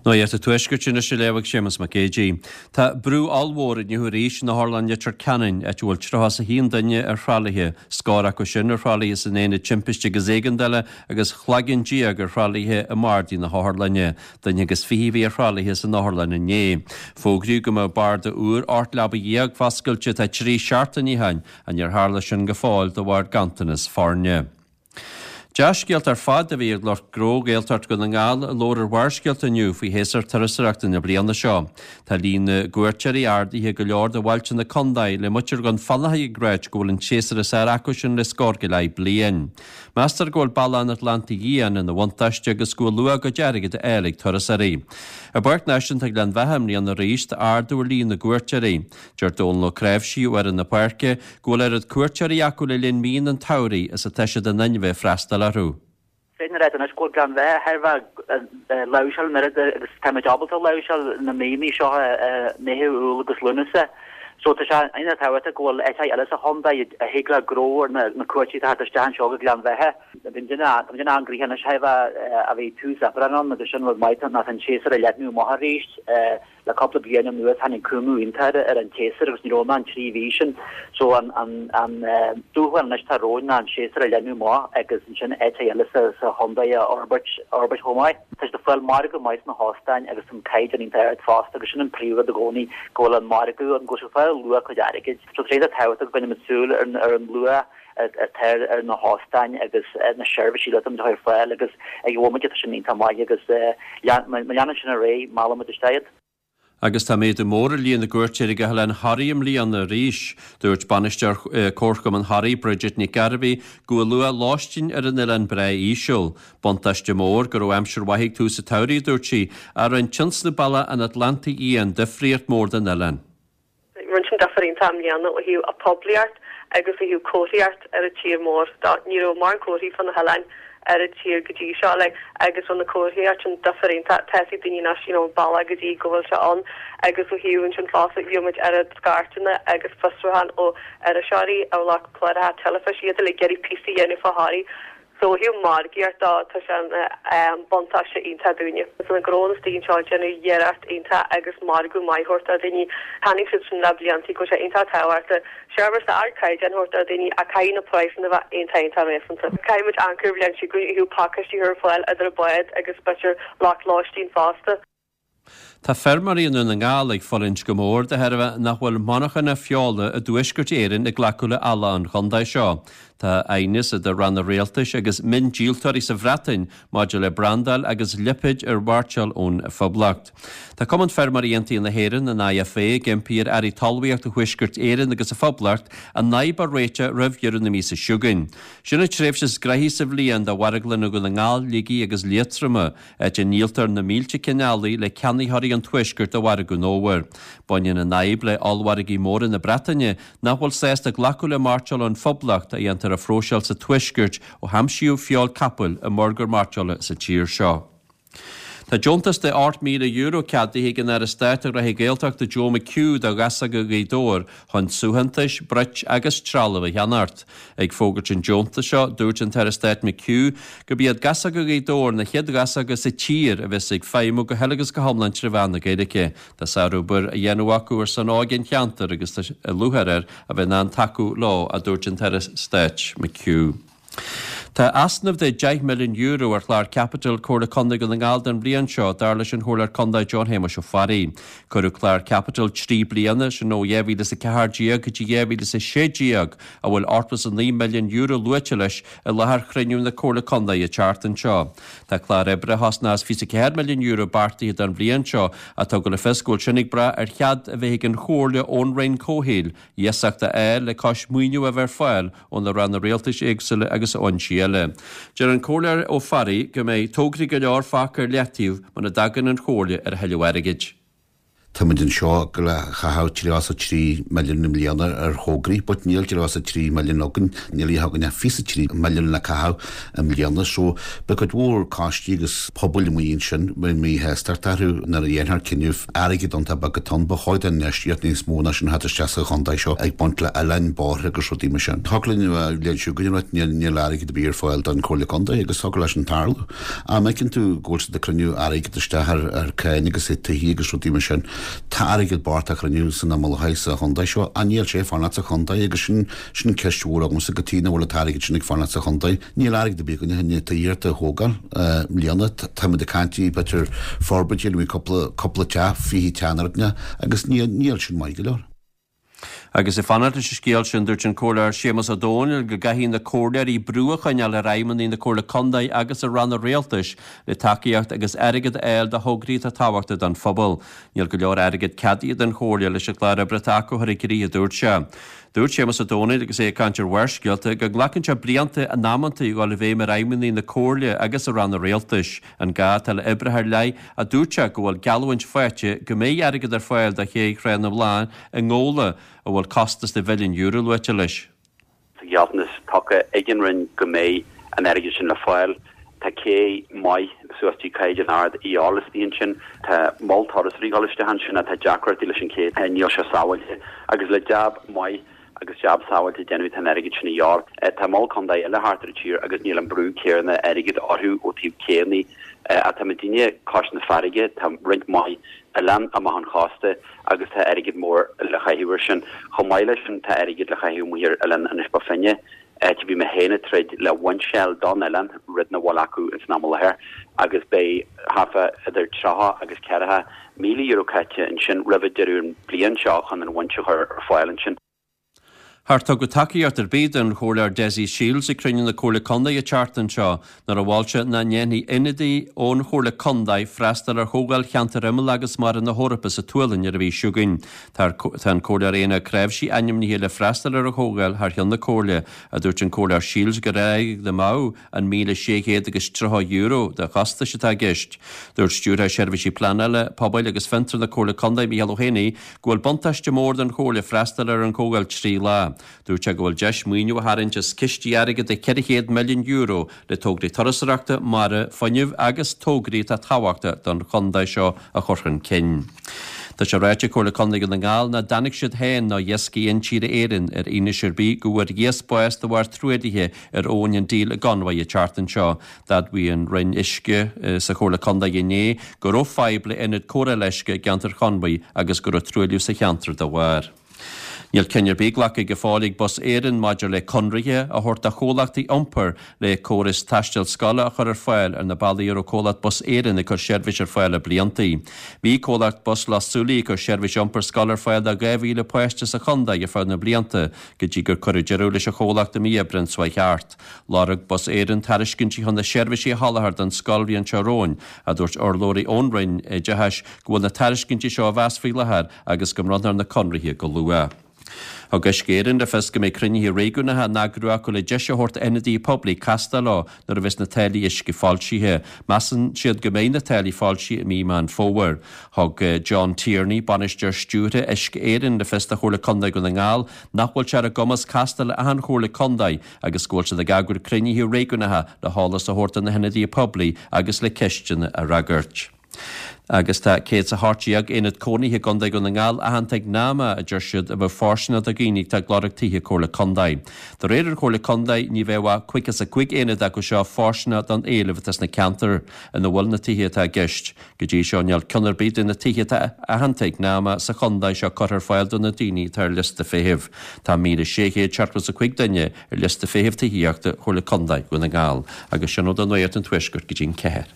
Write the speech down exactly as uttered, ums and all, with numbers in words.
Nuacht an Tuaiscirt anois á léamh ag Séamus Mac Géidigh. Tá brú ollmhór inniu arís in Otharlann Leitir Ceanainn, áit a bhfuil tríocha is a haon duine ar thralaithe, scór acu sin ar thralaithe san aonad timpiste agus éigeandála agus cloigeann déag ar thralaithe i mbardaí na hotharlainne. Duine agus fiche a bhí ar thralaithe san otharlann inné. Fógraíodh go mbeadh barda úr ocht leaba dhéag foscailte tá trí seachtaine ó shin, ach níor tharla sin go fóill de bharr ganntanas foirne. Dea-scéalta ar fad a bhí ag lucht gnó Ghaeltacht Dhún na nGall a labhair ar Bharrscéalta inniu faoi shéasúr turasóireachta na bliana seo. Tá líon na gcuairteoirí ardaithe go leor do bhailte na contae le muintir Dhún Fionnachaidh ag ráit go bhfuil an séasúr is fearr acu sin le scór go leith bliain. Meastar go bhfuil Bealach an Atlantaigh Fhiáin ina bhuntáiste agus go bhfuil luach a gcuid airgid á fháil ag turasóirí. I bPáirc Náisiúnta Ghleann Bheatha i mbliana arís tá ardú ar líon na gcuairteoirí. Deir Dónal Ó Cnáimhsí ó fhoireann na páirce go bhfuil oiread cuairteoirí acu le linn míonna an tsamhraidh is atá siad in ann bheith freastal orthu. Féadfaidh ráit anois go bhfuil Gleann Bheatha thar a bheith láimhseáil an oiread agus táimid ábalta láimhseáil na míonna seo Meitheamh, Iúil agus Lúnasa. So tá sé an-tábhachtach go bhfuil áiteacha eile sa chontae a thig le gnó ar na cuairteoirí atá isteach anseo go Gleann Bheatha. Bíonn duine bíonn an-ghnoitheach anois a bheith a bhí tús Aibreán ann agus sin rud maith ná an séasúr a leathnú amach arís. Le cúpla bliain anuas tháinig cúngú iontach ar an tséasúr agus ní raibh ann trí mhí sin. So an an an dúshlán anois atá romhainn ná an séasúr a leathnú amach agus ansin áiteacha eile sa sa chontae a fhorbairt fhorbairt chomh maith. Tá siad ag fáil margadh maith sna hóstáin agus an caighdeán iontach ard fosta agus sin an príomhrud i gcónaí go bhfuil an margadh ann go bhfuil siad ag fáil luach a gcuid airgid. So tá sé tábhachtach go gcoinneoimid súil ar ar an luach atá ar na hóstáin agus na seirbhísí atá ar fáil agus ag an bhomaite tá sin iontach maith agus má leanann sin ar aghaidh meallfaimid isteach iad. Agus tá méadú mór ar líon na gcuairteoirí go hOileán Thoraí i mbliana arís. Dúirt bainisteoir Comharchumann Thoraí Bridget Nic Gairbhí go bhfuil luach lóistín ar an oileán breá íseal. Buntáiste mór go raibh aimsir mhaith ag tús an tsamhraidh, dúirt sí, a rinne tionscnamh Bealach an Atlantaigh Fhiáin difríocht mór don oileán. Rinne sin difear iontach i mbliana ó thaobh a poiblíocht agus ó thaobh comharthaíocht ar an tír mór. Ní raibh mórán comharthaí fá na hoileáin ar an tír go dtí seo like agus rinne na comharthaíocht sin difear iontach. Tá fhios ag daoine anois you know an bealach go dtí go bhfuil sé ann agus ó thaobh ansin fosta bhí muid ar scairteanna agus fiosrúchán ó iriseoirí ó lucht cláracha teilifíse iad ag iarraidh píosaí a dhéanamh fá Thoraí. So ó thaobh margaíocht de tá sé ina buntáiste iontach dúinne. Tá na gnónna istigh anseo ag déanamh iarracht iontach agus margadh maith a thabhairt do dhaoine. Chonaic siad sin le blianta go bhfuil sé iontach tábhachtach seirbhís d'ardchaighdeán a thabhairt do dhaoine ach caithfidh na praghsanna a bheith iontach iontach réasúnta. Caithfidh muid amharc ar an bhliain seo chugainn ó thaobh pacáistí a chur ar fáil idir an bád agus b'fhéidir lucht lóistín fosta. Tá feirmeoirí i nDún na nGall ag fulaingt go mór de thairbhe nach bhfuil monarchana feola i dTuaisceart Éireann ag glacadh le eallach an chontae seo. Tá aighneas idir ranna rialtais agus miondíoltóirí sa Bhreatain maidir le brandáil agus lipéid ar mhairteoil ón Phoblacht. Tá Cumann Feirmeoirí Aontaithe na hÉireann, an IFA, ag impí ar Airí Talmhaíochta Thuaisceart Éireann agus a Phoblacht an fhadhb a réiteach roimh dheireadh na míosa seo chugainn. Sin an tréimhse is gnoithí sa bhliain do mharglanna Dhún na nGall, Shligigh agus Liatroma, áit a ndíoltar na mílte cinn eallaigh le ceannaitheoirí an Tuaiscirt do mhargadh an fhómhair. Baineann an fhadhb le ollmhargaí móra na Breataine nach bhfuil sásta glacadh le mairteoil ón Phoblacht a dhéantar a phróiseáil sa Tuaisceart ó haimsíodh feoil capaill i mburgar mairteola sa tír seo. Tá deontas de ocht míle euro ceadaithe ag an Aire Stáit do Ghnóthaí Gaeltachta Joe McHugh do Ghasóga Ghaoth Dobhair chun suaitheantais, broic agus trealamh a cheannacht. Ag fógairt an deontais seo, dúirt an tAire Stáit McHugh gurb iad Gasóga Ghaoth Dobhair na chéad ghasóga sa tír a bheas ag feidhmiú go huile agus go hiomlán trí mheán na Gaeilge. Tá sárobair á dhéanamh acu ar son óige an cheantair agus tá lúcháir air a bheith in ann tacú leo, a dúirt an tAire Stáit McHugh. Tá easnamh de deich milliún euro ar chlár caipitil Comhairle Contae Dhún na nGall don bhliain seo, dar leis an Chomhairleoir Contae John Shéamuis Ó Fearraigh. Cuireadh clár caipitil trí bliana, sin ó dhá mhíle is a ceathair déag go dtí dhá mhíle is a sé déag, a bhfuil ochtó is a naoi milliún euro luaite leis i láthair chruinniú na Comhairle Contae an tseachtain seo. Tá clár oibre a chosnós fiche is a ceathair milliún euro beartaithe don bhliain seo ach tugadh le fios go bhfuil sin ag brath ar chead a bheith ag an Chomhairle ón Roinn Comhshaoil iasacht a fháil le cois maoiniú a bheith ar fáil ó na ranna rialtais éagsúla agus ó fhoinsí eile. Deir an Comhairleoir Ó Fearraigh go mbeidh tograí go leor fágtha ar leataobh muna dtagann an Chomhairle ar a thuilleadh airgid. Táimid anseo le caitheamh tríocha trí milliún i mbliana ar thograí, but níl tríocha trí milliún againn, níl againn ach fiche trí milliún le caitheamh i mbliana, so beidh cuid mhór coistí agus pobail amuigh ansin míshásta orthu nuair a dhéanfar cinneadh airgead iontach beag atá ann, ba chóir don infheistíocht níos mó ná sin a theacht isteach sa chontae seo ag baint le oileáin, bóithre agus rudaí mar sin. Thig linn a bheith seo go níl níl airgead ar bith ar fáil don Chomhairle Contae agus thig leis sin tarlú. Ach má fheiceann tú go bhfuil siad ag cruinniú airgead isteach ar ar cáin agus tithe agus rudaí mar sin. Tá airgead bocht á chruinniú san iomlán sa chontae seo, ach níl sé ag fanacht sa chontae agus sin sin ceist mhór agamsa cad chuige nach bhfuil an t-airgead sin ag fanacht sa chontae. Níl airgead ar bith againne chun tithíocht a thógáil i mbliana. Táimid ag caint b'fhéidir forbairt a dhéanamh cúpla cúpla teach, fiche teach nó rud agus níl níl sin maith go leor. Agus ag fanacht leis an scéal sin, dúirt an Comhairleoir Séamus Ó Domhnaill go gcaithfidh na comhairleoirí brú a choinneáil ar fheidhmeannaigh na Comhairle Contae agus ar ranna rialtais le tacaíocht agus airgead a fháil do thograí atá tábhachtach don phobal. Níl go leor airgead ceadaithe don Chomhairle leis an gclár oibre atá acu a chur i gcrích, a dúirt sé. Dúirt Séamus Ó Domhnaill agus é ag caint ar Bharrscéalta go nglacann sé blianta in amantaí dhul i bhfeidhm ar fheidhmeannaigh na Comhairle agus ar ranna rialtais an gá atá le oibreacha ar leith a dúirt sé go bhfuil geallúint faighte go mbeidh airgead ar fáil do ché Thrá na mBláthanna i nGabhla a bhfuil costas de mhilliún euro luaite leis. Tá gealltanas tugtha ag an Roinn go mbeidh an airgead sin le fáil. Tá cé maith suas dtí caighdeán ard a dhíobháil istigh ansin. Tá mol turasóirí ag dul isteach ansin ach tá deacrachtaí leis an ché, níl sé sábháilte. Agus le jab maith agus jab sábháilte a dhéanamh tá an airgead sin a dhíobháil. Tá mol contae eile thart ar an tír agus níl an brú céanna airgid orthu ó taobh céanna. Ach tá muidinne cois na farraige, tá roinnt mhaith oileán amach an chósta agus tá airgead mór le caitheamh air sin. Chomh maith leis sin tá airgead le caitheamh amuigh ar oileán Inis Bó Finne, áit a bhí mé féin ag troid le winseáil don oileán, rud nach bhfuil acu ins an am i láthair, agus beidh thart fá idir tríocha agus ceathracha míle euro caite ansin roimh deireadh an bliain seo chun an winch a chur ar fáil ansin. Char tugadh tacaíocht ar bith don Chomhairleoir Dessie Shiels ag cruinniú na Comhairle Contae an tseachtain seo nuair a mhol sé nach ndéanfaí ionadaí ón Chomhairle Contae freastal ar Chomhdháil Cheantar Imeall agus Mara na hEorpa sa tSualainn ar an mhí seo chugainn. Tá an Comhairleoir Éanna Ó Cnáimhsí ainmnithe le freastal ar an chomhdháil thar cheann na Comhairle, a dúirt an Comhairleoir Shiels gur airgead amú an míle sé chéad agus tríocha euro de chostais atá i gceist. Dúirt Stiúrthóir Seirbhísí Pleanála, Pobail agus Fiontar na Comhairle Contae Micheál Ó hÉanaí go bhfuil buntáiste mór don Chomhairle freastal ar an chomhdháil trí lá. Dúirt sé go bhfuil deis maoiniú a tharraingt as cistí airgid de ceithre chéad milliún euro le tograí turasóireachta, mara, fuinnimh agus tograí atá tábhachtach don chontae seo a chur chun cinn. Tá sé ráite ag Comhairle Contae Dhún na nGall nach dtáinig siad féin ná Iascaigh Intíre Éireann ar fhianaise ar bith go bhfuair iasc bás de bharr truaillithe ar Abhainn an Díl i gConmhaigh an tseachtain seo. D'admhaigh an Roinn Uisce sa Chomhairle Contae inné go raibh fadhb le ionad cóireála uisce i gceantar Chonmhaigh agus go raibh truailliú sa cheantar dá bharr. Níl cinneadh ar bith glactha go fóill ag Bus Éireann maidir le conraithe a thabhairt do chomhlachtaí iompair le córas taistil scoile a chur ar fáil ar na bealaí a raibh comhlacht Bus Éireann ag cur seirbhís ar fáil le bliantaí. Bhí comhlacht Bus Loch Súilí ag cur seirbhís iompair scoile ar fáil do dhá mhíle páiste sa chontae ar feadh na blianta go dtí gur cuireadh deireadh leis an chomhlacht i mí Aibreáin seo chuaigh thart. Lorg Bus Éireann tairiscintí chun na seirbhísí a sholáthar don scoilbhliain seo romhainn, a dúirt urlabhraí ón Roinn Oideachais go bhfuil na tairiscintí seo á mheas faoi láthair agus go mbronnfar na conraithe go luath. Thug Uisce Éireann le fios go mbeidh cruinnithe réigiúnacha á n-eagrú acu le deis a thabhairt d'ionadaithe poiblí castáil leo nuair a bheas na táillí uisce foilsithe. Measann siad go mbeidh na táillí foilsithe i mí Meán Fómhair. Thug John Tierney, bainisteoir stiúrtha Uisce Éireann, le fios do Chomhairle Contae Dhún na nGall nach bhfuil sé ar a gcumas castáil le achan Chomhairle Contae agus go bhfuil siad ag eagrú cruinnithe réigiúnacha le heolas a thabhairt do na hionadaithe poiblí agus le ceisteanna a fhreagairt. Agus tá céad is a hocht déag aonad cónaithe i gContae Dhún na nGall aitheanta ag NAMA, a deir siad, a bheadh fóirsteanach do dhaoine atá ag lorg tithe Comhairle Contae. De réir an Chomhairle Contae, ní bheadh ach caoga is a cúig aonad acu seo fóirsteanach don éileamh atá sna ceantair ina bhfuil na tithe atá i gceist. Go dtí seo, níl ceann ar bith de na tithe atá aitheanta ag NAMA sa chontae seo curtha ar fáil do na daoine atá ar liosta feithimh. Tá míle sé chéad seachtó is a cúig duine ar liosta feithimh tithíochta Chomhairle Contae Dhún na nGall. Agus sin ó do Nuacht an Tuaiscirt go dtí an ceathair.